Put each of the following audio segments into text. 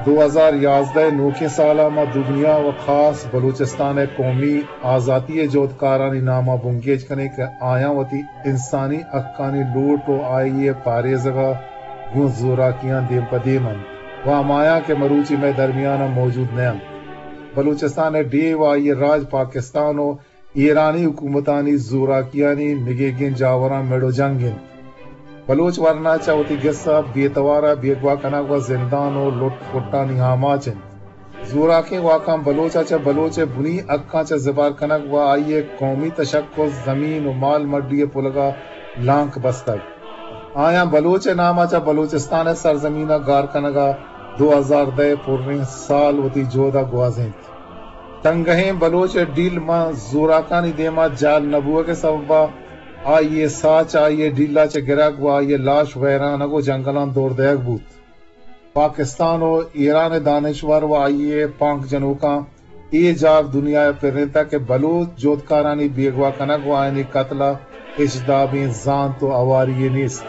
دو ہزار یازدہ ءِ نوکیں سال ءَ ما دگنیا و خاص بلوچستان ءِ قومی آزاتی ءِ جہدکارانی نام ءَ بنگیج کنیں کہ آیاں وتی انسانی حقانی لوٹ و آئی ءِ پاریزگ ءَ گوں زوراکیاں دیم پہ دیم انت و ہمایاں کہ مروچی مئے درمیان ءَ موجود نہ انت۔ بلوچستان ءِ ڈیھ و آئی ءِ راج پاکستان و ایرانی حکومتانی زوراکیانی نگیگیں جاوراں مڑ و جنگ انت۔ بلوچ ورنا چہ وتی گس ءَ بے توار ءَ بیگواہ کنگ و زندان و لٹ کٹانی آماچ انت۔ زوراکیں واکاں بلوچ ءَ چہ بلوچ ءِ بنی حقاں چہ زبہر کنگ و آئی ءِ قومی تشخص، زمین و مال مڈی ءِ پلگ ءَ لانک بستگ۔ آیاں بلوچ ءِ نام ءَ چہ بلوچستان ءِ سرزمین ءَ گار کنگ ءَ دو ہزار دہ ءِ پریں سال وتی جہد ءَ گوازینت۔ تنگہیں بلوچ ءِ ڈیل ماں زوراکانی دیم ءَ جہل نہ بوگ ءِ سبب ءَ آئی ءِ ساہ چہ آئی ءِ ڈیل ءَ چہ گرگ و آئی ءِ لاش ویرانگ و جنگلاں دور دئیگ بوت۔ پاکستان و ایران ءِ دانشور و آئی ءِ پانک جنوکاں اے جار دنیا ءَ پرینتگ کہ بلوچ جہدکارانی بیگواہ کنگ و آیانی قتل ءَ ہچ دابیں زانت و ہواری یے نیست۔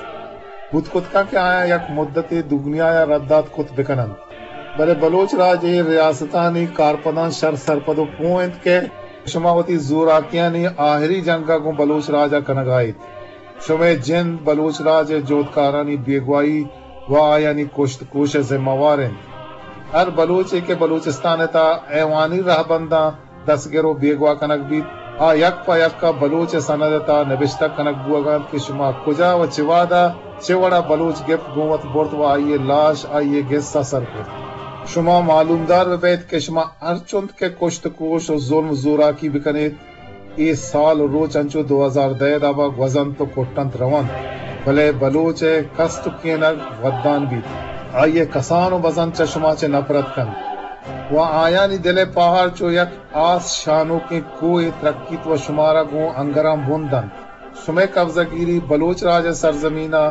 بوت کت کنت کہ آیاں یک مدتے دگنیا ءَ رد دات کت بہ کن انت۔ بلے بلوچ راج ءِ ریاستانی کارپداں شر سرپد و پوہ انت کہ شما وتی زوراکیانی آہری جنگ ءَ گوں بلوچ راج ءَ کنگ ءَ ات۔ شمئے جند بلوچ راج ءِ جہدکارانی بیگواہی و آیانی کشت کوش ءِ ذمہ وار انت۔ ہر بلوچے کہ بلوچستان ءِ تہا ایوانی رہبنداں دستگر و بیگواہ کنگ بیت، آ یک پہ یک ءَ بلوچ ءِ سند ءِ تہا نبشتہ کنگ بوگ ءَ انت کہ شما کجا و چہ وہد ءَ چہ وڑ ءَ بلوچ گپت گوں وت برت و آئی ءِ لاش آئی ءِ گس ءَ سر کرت۔ شما معلومدار بہ بئیت کہ شما ہرچنت کہ کشت کوش و ظلم زوراکی بہ کن ایت، اے سال و روچ انچو دو ہزار دہ ءِ داب ءَ گوزنت و کٹنت رونت، بلے بلوچ ءِ کست و کینگ ودان بیت۔ آئی ءِ کسان و بزن چہ شما چہ نپرت کنت و آیانی دل ءِ پاہار چو یک آس شانوکیں کوہے ترکیت و شمارا گوں انگراں بن دنت۔ شمئے قبضہ گیری بلوچ راج ءِ سرزمین ءَ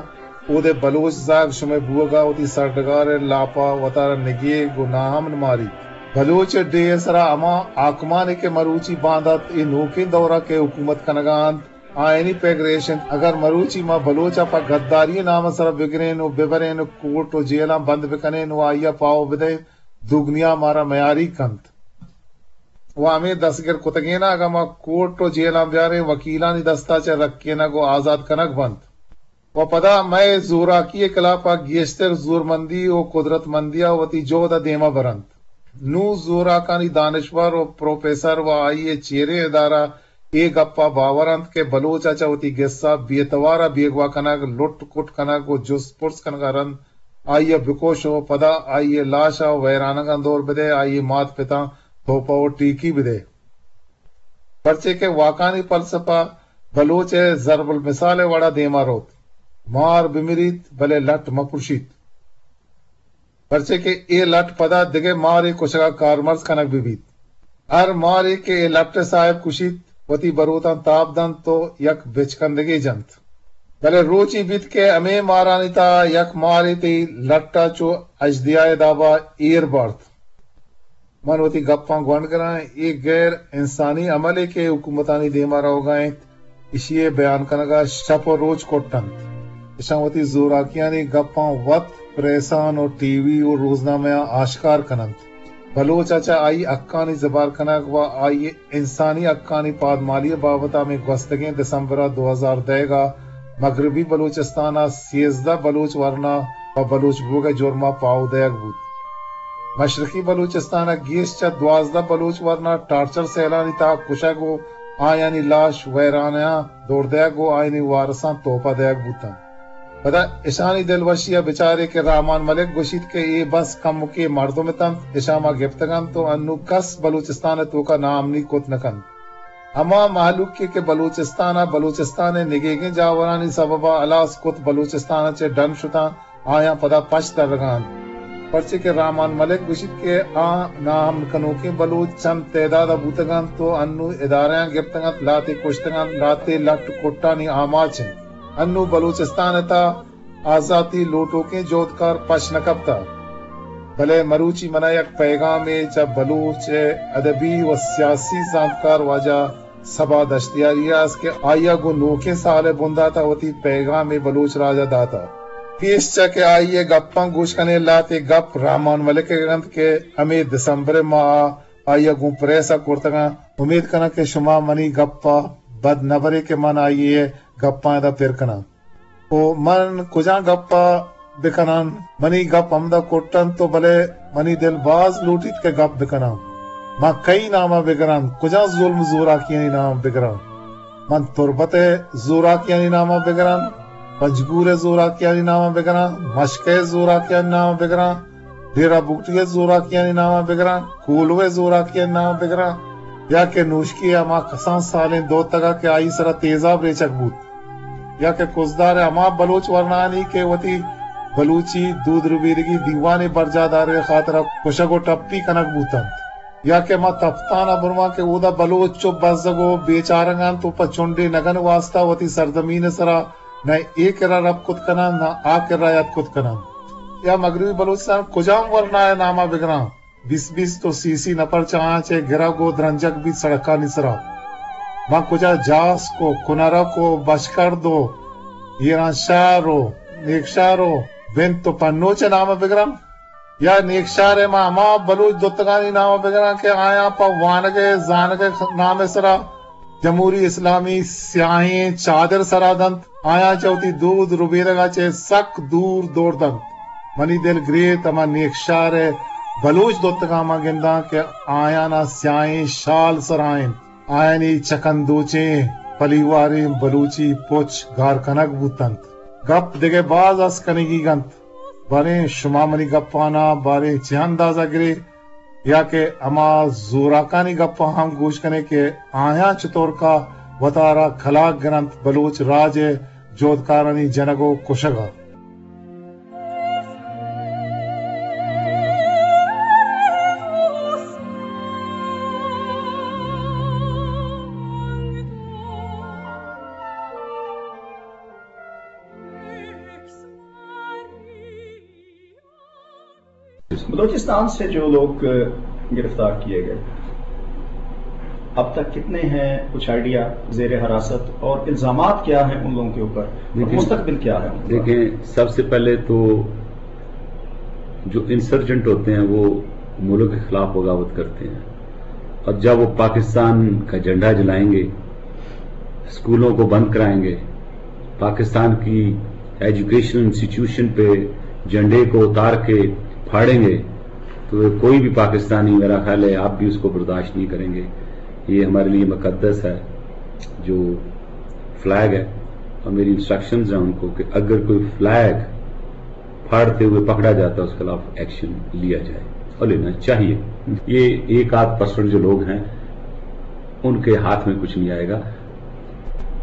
اود ءِ بلوچ زہگ شمئے بوگ ءَ وتی سرڈگار ءِ لاپ ءَ وتارا نگیگ و ناامن ماریت۔ بلوچ ءِ ڈیھ ءِ سرا ہما حاکمانے کہ مروچی باندات اے نوکیں دور ءَ کہ حکومت کنگ ءَ انت، آیانی پگر ایش انت، اگر مروچی ما بلوچ ءَ پہ گداری ءِ نام ءِ سرا بگرین و ببرین و کوٹ و جیلاں بند بکنین و آئی ءَ پاہو بدئین، دگنیا مارا میاریگ کنت۔ و ہمے دستگر کتگیناں اگاں ما کوٹ و جیلاں بیاریں، وکیلانی دست ءَ چہ رکینگ و آزات کنگ بنت۔ و پدا مئے زوراکی ءِ کلاپ ءَ گیشتر زورمندی و قدرتمندی ءَ وتی جہد ءَ دیما برنت۔ نوں زوراکانی دانشور و پروفیسر و آئی ءِ چیریں ادارہ اے گپ ءَ باور انت کہ بلوچ ءَ چہ وتی گس ءَ بے توار ءَ بیگواہ کنگ، لٹ کٹ کنگ و جست پرس کنگ ءَ رند آئی ءَ بکش و پدا آئی ءِ لاش ءَ ویرانگاں دور بدئے، آئی ءِ مات پتاں توپہ و ٹیکی بدئے۔ پرچے کہ واکانی فلسفہ بلوچ ءِ ضرب المثال ءِ وڑا دیما روت۔ مار بمریت، بلے لٹ مہ پرشیت۔ پرچے کہ اے لٹ پدا دگہ مارے کشگا کارمرز کنگ بہ بیت۔ ہر مارے کہ اے لٹ ءِ صاحب کشیت، وتی بروتاں تاب دنت و یک بچکندگے جنت۔ بلے روچے بیت کہ ہمے مارانی تہا یک مارے تئی لٹ ءَ چو اژدیا ءِ دابا ایر بارت۔ من وتی گپاں گونڈ گراں، اے غیر انسانی عملے کہ حکومتانی دیما روگا انت، ایشی ءِ بیان کنگا شپ و روچ کٹ انت۔ اشاں وتی زوراکیانی گپاں وت پریساں و ٹی وی و روزنامہاں آشکار کن انت۔ بلوچ ءَ چہ آئی حقانی زبہر کنگ و آئی ءِ انسانی حقانی پادمالی ءِ بابت ءَ ہمے گوستگیں دسمبر ءَ دو ہزار دہ ءَ مغربی بلوچستان ءَ سیزدہ بلوچ ورنا پہ بلوچ بوگ ءِ جرم ءَ پاہو دئیگ بوت۔ مشرقی بلوچستان ءَ گیش چہ دوازدہ بلوچ ورنا ٹارچر سیلانی تہا کشگ و آیانی لاش ویرانیاں دور دئیگ و آیانی وارساں توپہ دئیگ بوتنت۔ پدا اشانی دلوشی ءَ بچارے کہ رحمان ملک گوشیت کہ اے بس کمکے مردم اتنت، اشاں ما گپتگ انت و انوں کس بلوچستان ءِ توکا ناامنی کت نہ کنت۔ ہما مہلوکے کہ بلوچستان ءَ بلوچستان ءِ نگیگیں جاورانی سبب ءَ ہلاس کت، بلوچستان ءَ چہ ڈن شتاں، آیاں پدا پشت ترگا انت۔ پرچے کہ رحمان ملک گوشیت کہ آ ناامن کنوکیں بلوچ چند تعداد ءَ بوتگ انت و انوں ادارہاں گپتگ انت، لہتے کشتگ انت، لہتے لٹ کٹانی آماچ انت۔ انوں بلوچستان ءِ تہا آزاتی لوٹوکیں جہدکار پش نہ کپتہ۔ بلے مروچی منا یک پیغامے چہ بلوچ ءِ ادبی و سیاسی زانتکار واجہ صبا دشتیاری ءَ است کہ آئی ءَ گوں نوکیں سال ءِ بندات ءَ وتی پیغامے بلوچ راج ءَ داتہ۔ پیش چہ کہ آئی ءِ گپاں گوش کنیں، لہتے گپ رحمان ملک ءِ انت کہ ہمے دسمبر ءِ ماہ ءَ آئی ءَ گوں پریس ءَ کرتگ انت۔ امیت کناں کہ شما منی گپ ءَ بد نہ برے کہ من آئی ءِ گپاں ادا پر کناں۔ او من کجام گپ ءَ بکناں؟ منی گپ ہمدا کٹ انت، تو بلے منی دل باز لوٹیت کہ گپ بکناں۔ من کئی نام ءَ بگراں؟ کجام ظلم زوراکیانی نام ءَ بگراں؟ من تربت ءِ زوراکیانی نام ءَ بگراں، پنجگور ءِ زوراکیانی نام ءَ بگراں، مشکے ءِ زوراکیانی نام ءَ بگراں، ڈیرہ بگٹی ءِ زوراکیانی نام ءَ بگراں، کولو ءِ زوراکیانی نام ءَ بگراں، یا کہ نوشکی ءِ ہما کسان سالیں دوتک ءَ کہ آئی سرا تیزاب ریچگ بوت، یا کہ کزدار ءِ ہما بلوچ ورنایانی کہ وتی بلوچی دود ربیدگی دیوانے برجاہ دارگ ءِ خاطر ءَ کشگ ءُ ٹپی کنگ بوت انت۔ یا کہ ما تپتان ءَ برواں کہ اودا بلوچ چو بزگ ءُ بیچارگ انت ءُ پہ چنڈے نگن ءِ واستا وتی سرزمین ءِ سرا نہ اے کرا رپ کت کناں، نہ آ کرا یات کت کناں۔ یا مغربی بلوچستان کجام ورنا ءِ نام ءَ بگراں؟ بیست بیست ءُ سی سی نفر چہ آیاں چہ گرگ ءُ درنجگ بیت سڑکانی سرا۔ ما کجا جاسک ءُ کنرک ءُ بشکرد ءُ ایرانشہر ءُ نیکشہر ءُ بنت ءُ پنوچ ءِ نام ءَ بگراں؟ یا نیکشہر ءَ ما ہما بلوچ دوتکانی نام ءَ بگراں کہ آیاں پہ وانگ ءِ زانگ ءِ نام ءِ سرا جمہوری اسلامی سیاہیں چادر سرا دنت، آیاں چہ وتی دود ربیدگ ءَ چہ سک دور دور دنت۔ منی دل گریت ہما نیکشہر ءِ بلوچ دوتکاں ما گنداں کہ آیانا سیاہیں شال سرا انت۔ آیانی چکندوچیں پلیواریں بلوچی پچ گار کنگ بوت انت۔ گپ دگہ باز است کنگی انت، باریں شما منی گپانا باریں چہ اندازہ گرے، یا کہ ہما زوراکانی گپاں ہم گوش کنے کہ آیاں چطورکا وتارا کلاگ گرنت بلوچ راج ءِ جہدکارانی جنگ ءُ کشگ ءَ۔ بلوچستان سے جو لوگ گرفتار کیے گئے، اب تک کتنے ہیں، کچھ آئیڈیا، زیر حراست، اور الزامات کیا ہیں ان لوگوں کے اوپر، اور دیکھیں، مستقبل کیا ہے ان کا؟ دیکھیں، سب سے پہلے تو جو انسرجنٹ ہوتے ہیں، وہ ملک کے خلاف بغاوت کرتے ہیں، اور جب وہ پاکستان کا جھنڈا جلائیں گے، اسکولوں کو بند کرائیں گے، پاکستان کی ایجوکیشن انسٹیٹیوشن پہ جھنڈے کو اتار کے پھاڑیں گے، تو یہ کوئی بھی پاکستانی، میرا خیال ہے، آپ بھی اس کو برداشت نہیں کریں گے۔ یہ ہمارے لیے مقدس ہے، جو فلیگ ہے، اور میری انسٹرکشنز ہیں ان کو کہ اگر کوئی فلیگ پھاڑتے ہوئے پکڑا جاتا ہے، اس کے خلاف ایکشن لیا جائے اور لینا چاہیے۔ یہ ایک آدھ پرسنٹ جو لوگ ہیں، ان کے ہاتھ میں کچھ نہیں آئے گا۔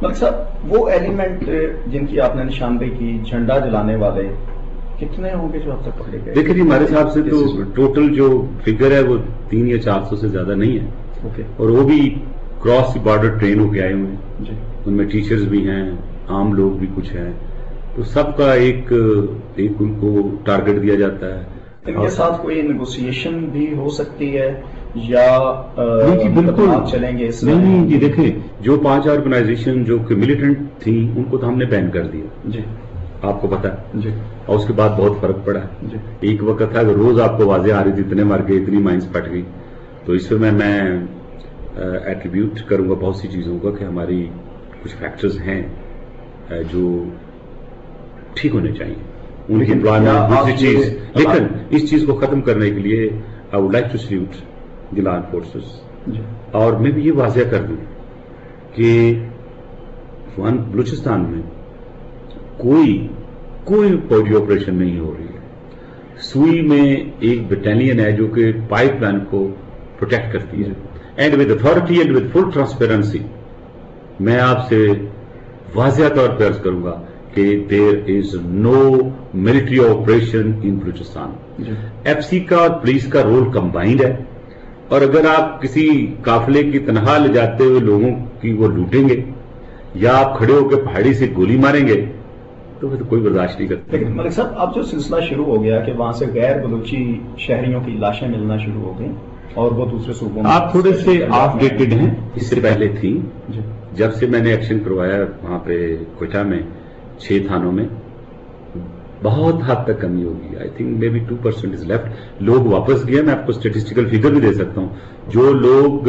ملک صاحب، وہ ایلیمنٹ جن کی آپ نے نشاندہی کی، جھنڈا جلانے والے، کتنے ہوں گے جو اب تک پکڑے گئے؟ دیکھیں جی، ہمارے حساب سے تو ٹوٹل جو فگر ہے، وہ تین یا چار سو سے زیادہ نہیں ہے۔ اوکے۔ اور وہ بھی کراس بارڈر ٹرین ہو کے آئے ہوئے ہیں۔ جی۔ ان میں ٹیچرز بھی ہیں، عام لوگ بھی کچھ ہیں، تو سب کا ایک، ایک ان کو ٹارگٹ دیا جاتا ہے۔ ان کے ساتھ کوئی نیگوسیشن بھی ہو سکتی ہے یا، آ، نہیں جی، بالکل۔ مقدمات چلیں گے اس میں؟ نہیں، نہیں جی، دیکھیں، جو پانچ آرگنائزیشن جو کہ ملیٹنٹ تھیں، ان کو تو ہم نے بین کر دیا۔ جی۔ آپ کو پتا ہے۔ جی۔ اور اس کے بعد بہت فرق پڑا ہے۔ جی۔ ایک وقت تھا کہ روز آپ کو آوازیں آ رہی تھی، اتنے مر گئے، اتنی مائنز پھٹ گئی۔ تو اس میں میں، آ، ایٹریبیوٹ کروں گا بہت سی چیزوں کا کہ ہماری کچھ فیکٹرز ہیں، آ، جو ٹھیک ہونے چاہیے۔ ان کی لیکن امپلائمنٹ، کیا آپ دوسری یہ چیز، لیکن اس چیز کو ختم کرنے کے لیے I would like to salute the law enforcers۔ جی۔ اور میں بھی یہ واضح کر دوں کہ افغان بلوچستان میں کوئی، کوئی فوجی آپریشن نہیں ہو رہی ہے۔ سوئی میں ایک بٹالین ہے جو کہ پائپ لائن کو پروٹیکٹ کرتی ہے۔ جی۔ And with authority and with full transparency، میں آپ سے واضح طور پہ عرض کروں گا کہ there is no military operation in بلوچستان۔ جی۔ ایف سی کا اور پولیس کا رول کمبائنڈ ہے، اور اگر آپ کسی قافلے کی تنخواہ لے جاتے ہوئے لوگوں کی وہ لوٹیں گے یا آپ کھڑے ہو کے پہاڑی سے گولی ماریں گے، تو پھر تو کوئی برداشت نہیں کرتا۔ لیکن ملک صاحب، اب جو سلسلہ شروع ہو گیا کہ وہاں سے غیر بلوچی شہریوں کی لاشیں ملنا شروع ہو گئیں اور وہ دوسرے صوبوں میں آپ تھوڑے سے آف ڈیٹڈ ہیں، اس سے پہلے تھی۔ جی۔ جب سے میں نے ایکشن کروایا وہاں پہ کوئٹہ میں، چھ تھانوں میں، بہت حد تک کمی ہوگی۔ آئی تھنک مے بی ٹو پرسینٹ از لیفٹ۔ لوگ واپس گئے، میں آپ کو اسٹیٹسٹیکل فگر بھی دے سکتا ہوں۔ جو لوگ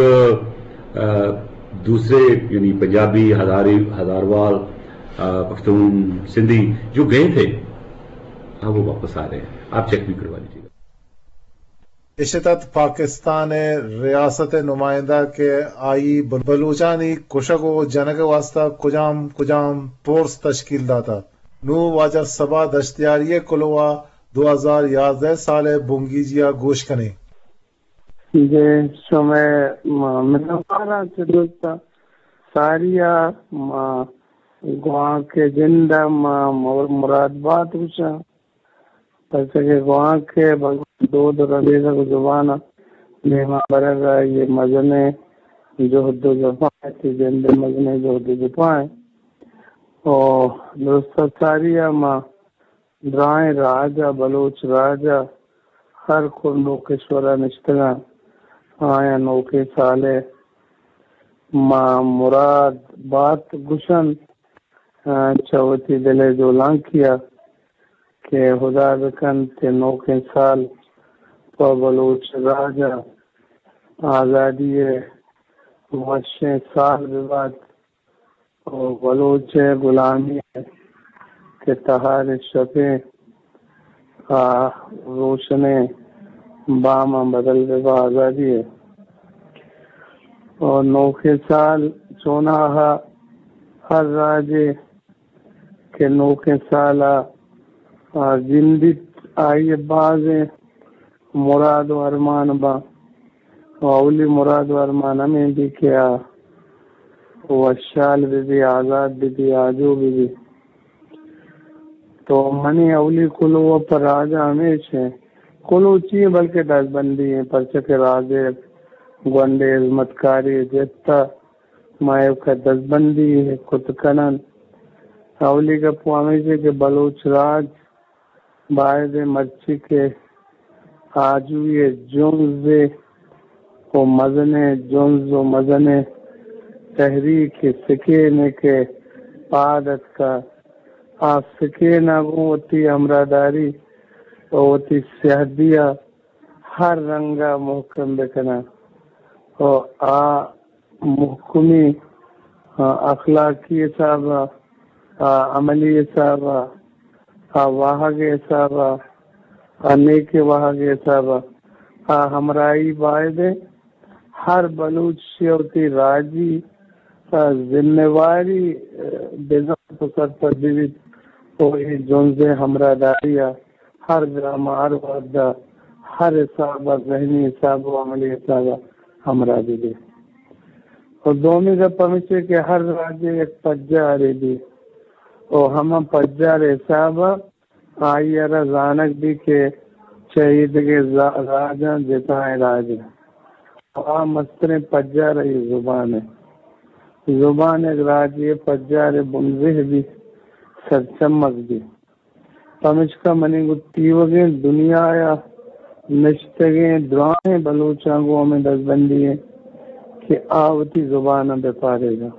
دوسرے، یعنی پنجابی، ہزاری، ہزاروال، پختون، سندھی جو گئے تھے، ہاں، وہ واپس آ رہے ہیں۔ آپ چیک بھی کروا لیجیے گا۔ اشت ات پاکستان ءِ ریاست ءِ نمائندہ کہ آئی بلوچانی کشگ و جنگ ءِ واستہ کجام کجام پورس تشکیل داتا۔ نوں واجہ صبا دشتیاری ءِ کلوہ دو ہزار یازدہ سال ءِ بنگیجی ءَ گوش کنیں۔ جی، شمئے منتواراں چہ درستاں ساری ءَ ما گوانک ءِ جند ءَ ما مراد بات گوشاں۔ پرچا کہ گوانک ءِ بلوچ دود ءُ ربیدگ ءُ زبان ءَ دیما برگ ءَ یہ مزنیں جہد ءُ جفا انت، جند ءِ مزنیں جہد ءُ جفا انت۔ او درست ساری ءَ ما درائیں راج ءَ، بلوچ راج ءَ ہر کنڈ ءُ کشور ءَ نشتگاں، آیاں نوکیں سال ءِ ما مراد بات گوشنت، آ، چہ وتی دل ءِ جولانکی ءَ کہ ہدا بکنت کہ نوکیں سال پہ بلوچ راج ءَ آزادی ءِ وشیں سال بہ بات۔ ءُ بلوچ ءِ گلامی ءِ کہ تہاریں شپیں آ روشنیں باماں بدل بہ با آزادی ءِ۔ ءُ نوکیں سال چوناہا ہر راجے کہ نوکیں سال ءَ آ گندیت، آئی ءِ بازیں مراد ءُ ارمان باں۔ ءُ اولی مراد ءُ ارمان ہمے بی کہ آ وشحال بہ بی، آزاد بہ بی، آجو بہ بی۔ تو منی اولی کلوہ پہ راج ءَ ہمیش ایں۔ کلوہ چی ایں بلکہ دزبندی ایں، پرچا کہ راج ءِ گونڈے ہزمتکاری جت ءَ ما ایوک ءَ دزبندی کت کنن۔ اولی گپ ہمیش ایں کہ بلوچ راج باید ایں مرچی کہ آجوئی ءِ جنزے ءُ مزنیں جنز ءُ مزنیں تحریک ءِ سکین ءَ کہ پاد اتکہ، آ سکین ءَ گوں وتی ہمراہداری ءُ وتی سیادی ءَ ہر رنگ ءَ مہکم بکناں ءُ آ مہکمی، آ، اخلاقی حساب ءَ، آ، عملی حساب ءَ، آ، واہگ ءِ حساب ءَ، آ، نیکیں واہگ ءِ حساب ءَ، آ، ہمراہی باید ایں۔ ہر بلوچ ءَ وتی راجی، آ، ذمہ واری، آ، بزانت ءُ سرپد بہ بیت ءُ اے جنز ءِ ہمراہداری ءَ ہر گام ءَ، ہر وہد ءَ، ہر حساب ءَ، ذہنی حساب ءُ عملی حساب ءَ ہمراہ بہ بی۔ ءُ دومی گپ ہمیش ایں کہ ہر راجے یک پجارے بی ءُ ہما پجار ءِ حساب ءَ آئی ءَ را زانگ بی کہ چہ ایدگہ زا-، راجاں جتائیں راج ایں۔ ءُ آ مستریں پجار آئی زبان ایں۔ زبان یک راجے ءِ پجار ءِ بنزہ بی، سرچمگ بی۔ پمیشکا منی گوں تیوگیں دنیا ءَ نشتگیں دراہیں بلوچاں گوں ہمے دزبندی ایں کہ آ وتی زبان ءَ بہ پاریزاں۔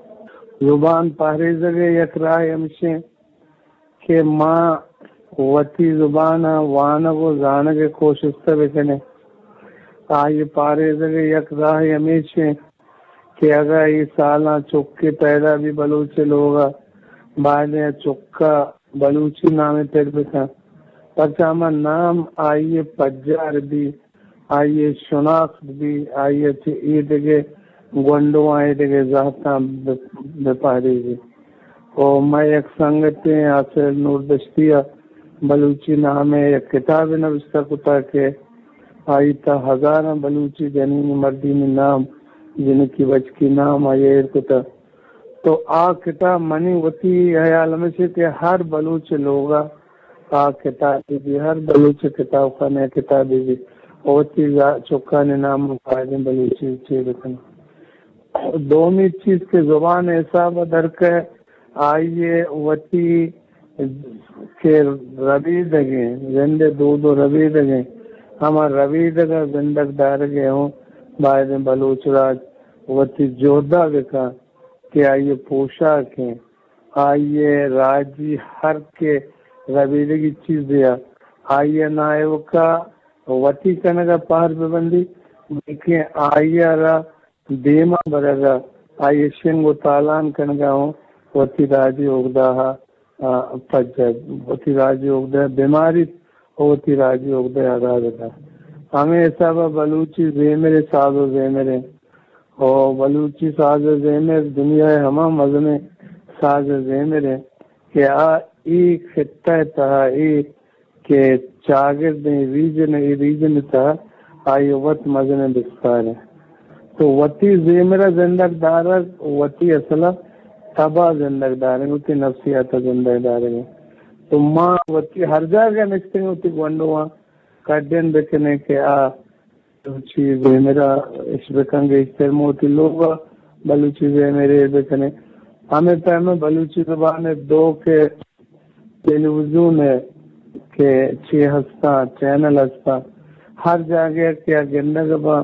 زبان پاریزگ ءِ یک راہے ہمیش ایں کہ ما وتی زبان ءَ وانگ ءُ زانگ ءِ کوشست ءَ بکنیں۔ آئی ءِ پاریزگ ءِ یک راہے ہمیش ایں کہ اگاں اے سالاں چکے پیدا بی بلوچ ءِ لوگ ءَ، باید ایں چک ءَ بلوچی نامے پر بکن، پرچا ہما نام آئی ءِ پجار بی، آئی ءِ شناخت بی، آئی ءَ چہ ایدگہ گونڈواں، ایدگہ زہتاں بہ، بہ پاریزی۔ ءُ مئے یک سنگتے آصف نور دشتی ءَ بلوچی نام ءِ یک کتابے نبشتہ کتگ کہ آئی تہا ہزاراں بلوچی جنینی مردینی نام، جنکی بچکی نام آئی ءَ ایر کتگ۔ تو آ کتاب، منی وتی ہیال ہمیش ایں کہ ہر بلوچ ءِ لوگ ءَ آ کتاب بہ بی، ہر بلوچ ءِ کتاب خانہ ءَ کتاب بہ بی، وتی چکانی نام ءَ بایدیں بلوچی چیر بکناں۔ دومی چیز کہ زبان ءِ حساب ءَ درکئے، آئی ءِ وتی کہ ربیدگیں، زند ءِ دود ءُ ربیدگیں، ہما ربیدگ ءَ زندگ دارگ ءَ ہوں بایدیں بلوچ راج وتی جہد ءَ بکن کہ آئی ءِ پوشاک ایں، آئی ءِ راجی ہر کہ ربیدگی چیزے ءَ آئی ءَ نہ ایوکا وتی کنگ ءَ پہر بہ بندی، بلکیں آئی ءَ را دیما برگ ءَ، آئی ءِ شنگ ءُ تالان کنگ ءَ اوں وتی راجی اگدہ ءَ، آ، پجہ، وتی راجی اگدہ ءَ بماریت ءُ وتی راجی اگدہ ءَ اگاں بدنت۔ ہمے حساب ءَ بلوچی زیمر ءِ ساز ءُ زیمر اِنت ءُ بلوچی ساز ءُ زیمر دنیا ءِ ہما مزنیں ساز ءُ زیمر اِنت کہ آ اے خطہ ءِ تہا، اے کہ چاگردیں ریجن، اے ریجن ءِ تہا آئی ءِ وت مزنیں بستار اِنت۔ تو وتی زیمر ءَ زندگ دارگ، وتی اصل ءَ تب ءَ زندگ دارگ، وتی نفسیات ءَ زندگ دارگ اِنت۔ تو ما وتی ہر جاگہ نشتگ وتی گونڈواں کڈن بکنیں کہ آ بلوچی زیمر ءَ اش بکن، گیشتر ما وتی لوگ ءَ بلوچی زیمر ءَ ایر بکنیں۔ ہمے پیم ءَ بلوچی زبان ءِ دو کہ ٹیلیویژن ءِ کہ چی ہستاں، چینل ہستاں، ہر جاگہ کہ آ گندگ باں،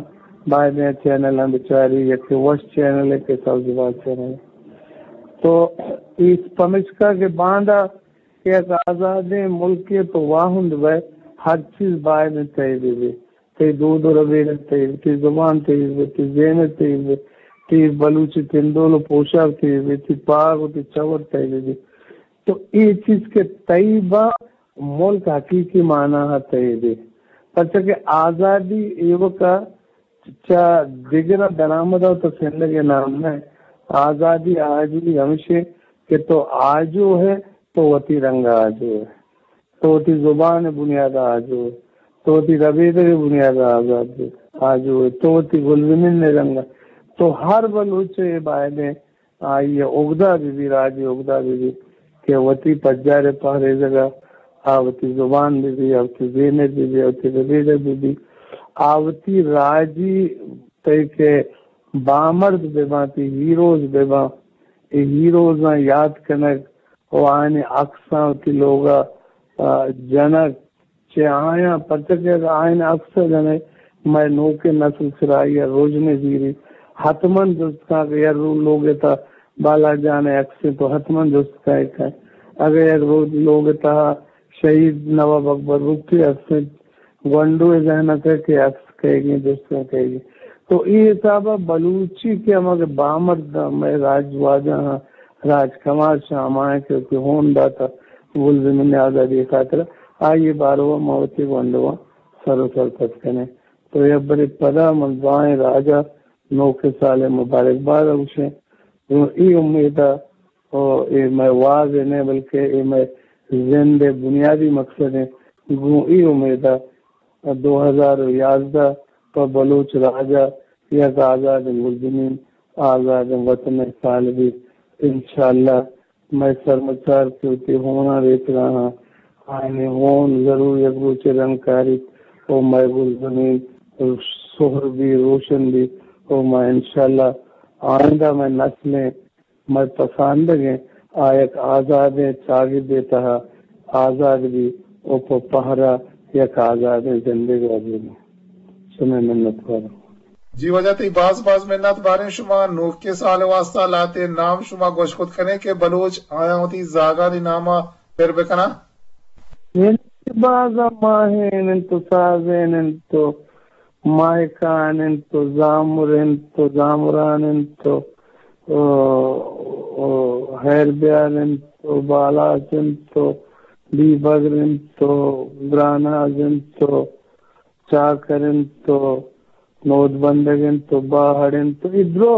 باید ایں چینلاں بچاری، یکے وش چینل ءِ کہ سبز باز چینل۔ تو اے پمشکا کہ باندا کہ یک آزادیں ملکے تو واہند بئے، ہر چیز باید ایں تئی بہ بی۔ تئی دود ءُ ربیدگ تئی بہ بی، تئی زبان تئی بہ بی، تئی زیمر تئی بہ بی، تئی بلوچی تندول ءُ پوشاک تئی بہ بی، تئی پاگ ءُ تئی چور تئی بہ بی۔ تو اے چیز کہ تئی باں، ملک حقیقی معنی ءَ تئی بی۔ پرچا کہ آزادی ایوک ءَ چہ دگراں درآمد ءَ تو سندگ ءِ نام نہ۔ آزادی، آجوئی ہمیش اِنت کہ تو آجو ئے، تو وتی رنگ ءَ آجو ئے، تو وتی زبان ءِ بنیاد ءَ آجو ئے، تو وتی ربیدگ ءِ بنیاد ءَ آزاد ئے، آجو ئے، تو وتی گلزمین ءِ رنگ ءَ۔ تو ہر بلوچ ءَ اے باید ایں آئی ءِ اگدہ بہ بی، راجی اگدہ بہ بی کہ وتی پجار ءِ پہریزگ ءَ آ وتی زبان بہ بی، آ وتی زیمر بہ بی، آ وتی ربیدگ بہ بی، آ وتی راجی تئی کہ بامرد بہ باں، تئی ہیروز بہ باں، اے ہیروزاں یات کنگ ءُ آیانی عکساں وتی لوگ ءَ، آ، جنگ، چہ آیاں، پرچا کہ اگاں آیانی عکس ءَ جنئے، مئے نوکیں نسل سرا آئی ءَ رژنے زیری۔ حتماً جست کن کہ یک رو-، لوگ ءِ تہا بالاچ جان ءِ عکس اِنت تو حتماً جست کن ئے کن۔ اگاں یک رو-، لوگ ءِ تہا شہید نواب اکبر بگٹی ءِ عکس اِنت، گونڈو ءِ ذہن ءَ کئے کہ عکس کئیگ اِنت، جست کن کئیگ اِنت۔ تو اے حساب ءَ بلوچی کہ ہما کہ بامرد مئے راج واجہاں، راج کماش ہمائیں کہ وتی ہون داتہ گلزمین ءِ آزادی ءِ خاطر ءَ، آئی ءِ بارو ءَ ما وتی گونڈواں سر ءُ سرپد کنیں۔ تو یک برے پدا من درائیں راج ءَ نوکیں سال ءِ مبارک باد ءَ گوشیں۔ گوں اے امید ءَ، او اے مئے واز ءِ نہ بلکہ اے مئے زند ءِ بنیادی مقصد اِنت۔ گوں اے امید ءَ دو ہزار ءُ یازدہ پہ بلوچ راج ءَ یک آزادیں گلزمین، آزادیں وطن ءِ سال بیت۔ انشاءاللہ مئے سرمچار کہ وتی ہوناں ریتگاہاں، آیانی ہون ضرور یک روچے رنگ کاریت ءُ مئے گلزمین سہر بی، روشن بی ءُ ما انشاءاللہ آئندہ مئے نسلیں، مئے پساندگیں، آ یک آزادیں چاگردے تہا آزاد بی ءُ پہ پہرا یک آزادیں زندگے ءَ بی۔ شمئے منت وار۔ جی واجہ، تئی باز باز منت۔ باریں شما نوکیں سال ءِ واسطہ لہتے نام شما گوش کت کنیں کہ بلوچ آیاں وتی زاگانی نام ءَ پر بکناں۔ یعنی باز ماہین اِنت ءُ سازین اِنت ءُ ماہکان اِنت ءُ زامر اِنت ءُ زامران اِنت ءُ، ءُ، ءُ ہیر بیار اِنت ءُ بالاچ اِنت ءُ بیبگر اِنت ءُ گراناز اِنت ءُ چاکر اِنت ءُ نودبندگ اِنت ءُ باہڑ اِنت ءُ اے درو،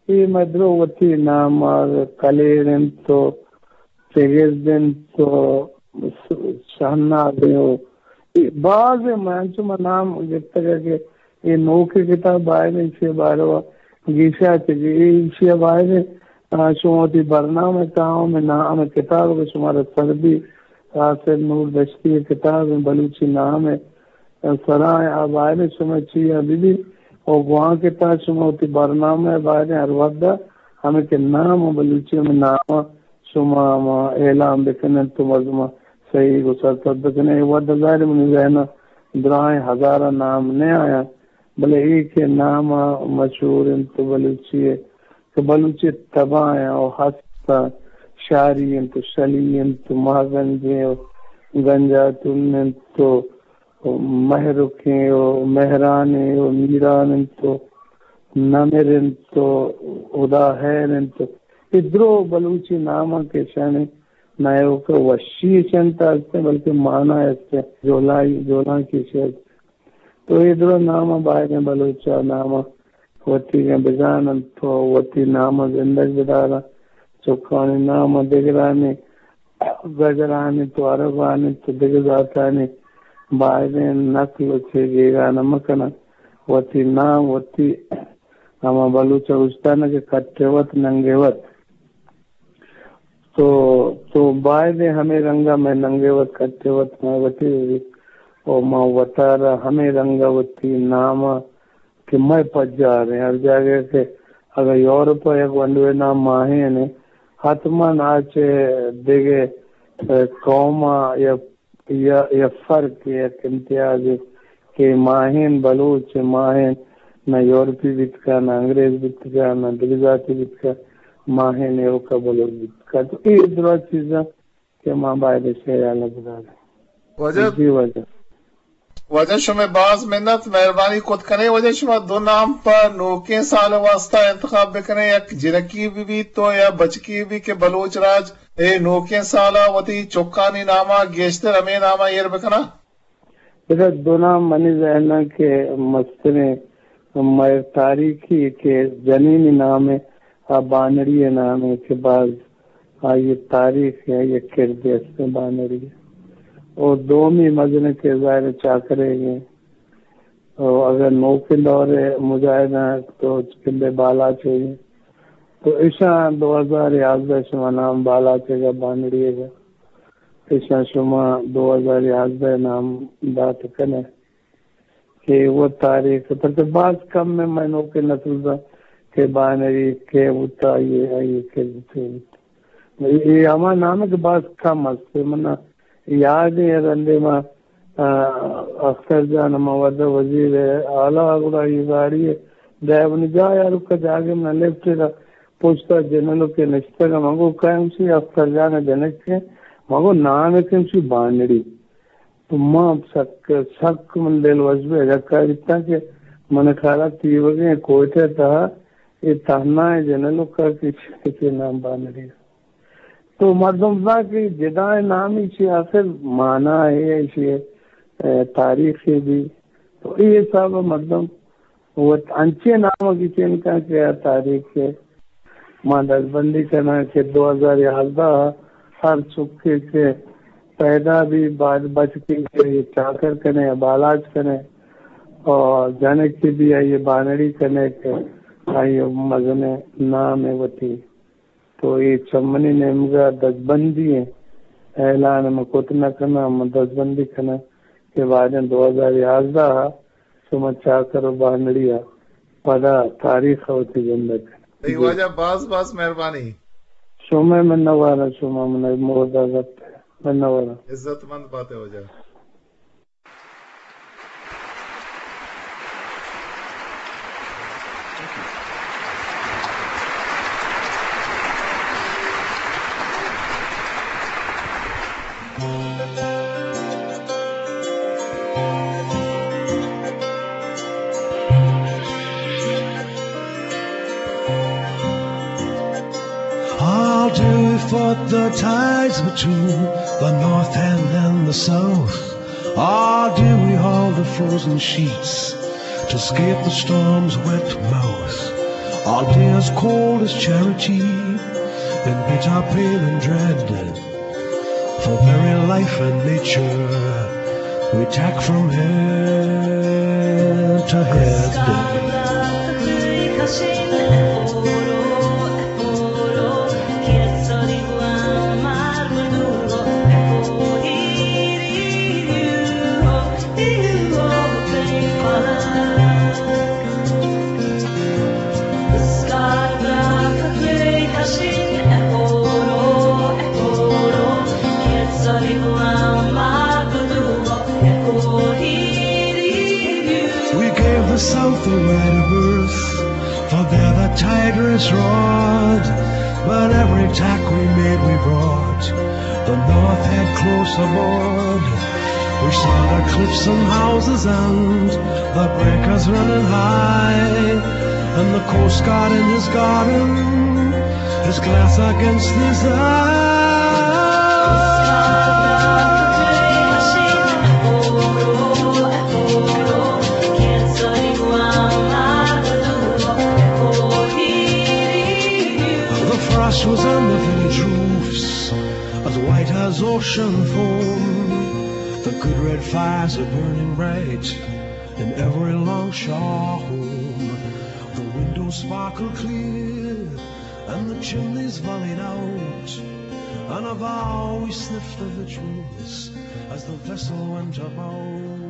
اے مئے درو وتی نام ءَ کلیر اِنت ءُ چگرد اِنت ءُ شہناز اِنت ءُ اے باز اِنت، مئے انچو ما نام گپتگ کہ اے نوکیں کتاب باید اِنت ایشی ءِ بارو ءَ گیشا چہ گیش، اے ایشی ءَ باید اِنت، آ، شما وتی برنامہ ءِ تہا ہمے نام ءِ کتاب کہ شمارا سر بی، آصف نور دشتی ءِ کتاب اِنت بلوچی نام ءِ سرا اِنت، آ باید اِنت شمئے چیا بہ بی ءُ گوانک ءِ تہا شما وتی برنامہ ءَ باید اِنت ہر وھد ءَ ہمے کہ نام ءَ بلوچی ہمے نام ءَ شما ہما اعلان بکن اِت ءُ مردماں سہی گوں سرپد بکن اِت۔ اے وھد ءَ ظاہر اِنت منی ذہن ءَ درائیں ہزاراں نام نہ آیاں، بلے اے کہ نام ءَ مشہور اِنت ءُ بلوچی ءِ کہ بلوچی ءِ تباہ اَنت ءُ ہست اَنت، شاری اِنت ءُ شلی اِنت ءُ ماہگنجیں ءُ گنجاتون انت و مہرکیں و مہرانیں و میران انت و نمر انت و ہدا ہیر انت و اے درو بلوچی ناماں کہ اشانی نہ ایوک ء وشی اشانی تہا است انت، بلکہ مانا است انت، جولائی، جولانکی اشی است۔ تو اے درو ناماں بایدیں بلوچ ء ناماں وتیگیں بزان انت و وتی ناماں زندگ بدار انت۔ چکانی ناماں دگرانی گجرانی تو عربانی تو دگہ ذاتانی بایدیں نقل و چے گیگان مکنن۔ وتی نام وتی ہما بلوچ ء گوشتن کہ کٹے وت ننگے وت۔ تو، تو بایدیں ہمے رنگ ء مئے ننگے وت کٹے وت مئے وتی بہ بیت و ما وتارا ہمے رنگ ء وتی نام ء کہ مئے پجار ایں۔ ہر جاگہ کہ اگاں یورپ ء یک گونڈوے نام ماہین ایں، حتماً آ چہ دگہ، ء، قوم ء یا، یا، یا فرق، یک امتیازے کہ ماہین بلوچ، ماہین نہ یورپی بیتگ ء، نہ انگریز بیتگ ء، نہ دگہ ذاتی بیتگ ء، ماہین ایوک ء بلوچ بیتگ ء۔ تو اے درا چیزاں کہ ما باید اشی ء ہیال ء بداریں۔ واجہ، جی واجہ۔ واجہ شمئے باز منت، مہربانی کت کنے۔ واجہ شما دو نام پہ نوکیں سال ء واسطہ انتخاب بکنے، یک جنکی بہ بیت تو یا بچکی بہ بیت کہ بلوچ راج اے نوکیں سال ء وتی چکانی نام ء گیشتر ہمے نام ء ایر بکناں۔ بلے دو نام منی ذہن ء کہ مستریں مئے تاریخی کہ جنینی نام ء آ بانڑی ء نام ء کہ باز آئی ء تاریخ ء آئی ء کردے است بانڑی ء۔ او دومی مزن کردار چاکرے ء۔ او اگر نوکیں دور ء مجاہداں تو پندے بالاچ ء۔ تو اشاں دو ہزار یازدہ شما نام بالاچ ء بانڑی ء۔ ایشاں شما دو ہزار یازدہ نام دات کنے کہ وہ تاریخ، پرچہ باز کم میں منوکیں نسل دا کہ بانڑی کہ بوتا، یہ، یہ کہ بوتے بوت۔ یہ ہما نام ہے کہ باز کم است۔ من یاد ہے رندے ما، آ، اختر جان ہما ودا وزیر اعلیٰ گڑا یہ گاڑی ہے، ڈرائیور نے جا یار کا جاگے میں لفٹ دا پشتا جنلو کے نشتگا، مگو کہیں سی اختر جان جنک کے، مگو نام ہے کہ سی بانڑی۔ تو ما سک، سک من دل وش بہ اجکا بیتاں کہ من کارا تیوگیں کوئٹہ تہا اے تہنا جنلو کا کچھ کے نام بانڑی۔ تو مردم زان کہ جدائیں نامی چی آخر مانا ہے، ایشی، اے، تاریخی بھی۔ تو اے حساب مردم وت انچیں نام ء گچین کن کہ آ تاریخ ء ما دزبندی کناں کہ دو ہزار یازدہ ء ہر چکے کہ پیدا بی، بعد بچکی کہ یہ چاکر کنے یا بالاچ کنے اور جنک کی بھی آئی بانڑی کنے کہ آئی مزن نام ء وتی۔ تو اے چہ منی نیمگا دزبندی ایں، اعلان من کت نہ کناں، من دزبندی کناں کہ بعدیں دو ہزار یازدہ ء شما چاکر و بانڑی ء پدا تاریخ ء وتی زندگ کناں۔ اے جی۔ واجہ باز باز مہربانی۔ شما منواراں، شما من مہر دات، منواراں۔ عزت مند باتے واجہ۔ How do we fought the tides between the north and, and the south? Or do we haul the frozen sheets to escape the storm's wet mouth? Or be as cold as charity and beat our pain and dread? For very life and nature we tack from head to head. We gave the South a right of birth, for there the tigress We brought the North Head close aboard. We saw the cliffs and houses and the breakers running high, and the Coast Guard in his garden, his glass against his eye. The frost was on the village roofs, as white as ocean foam. The good red fires are burning bright in every longshore home. The windows sparkle clear and the chimneys volleyed out. And a vow we sniffed the victuals as the vessel went about.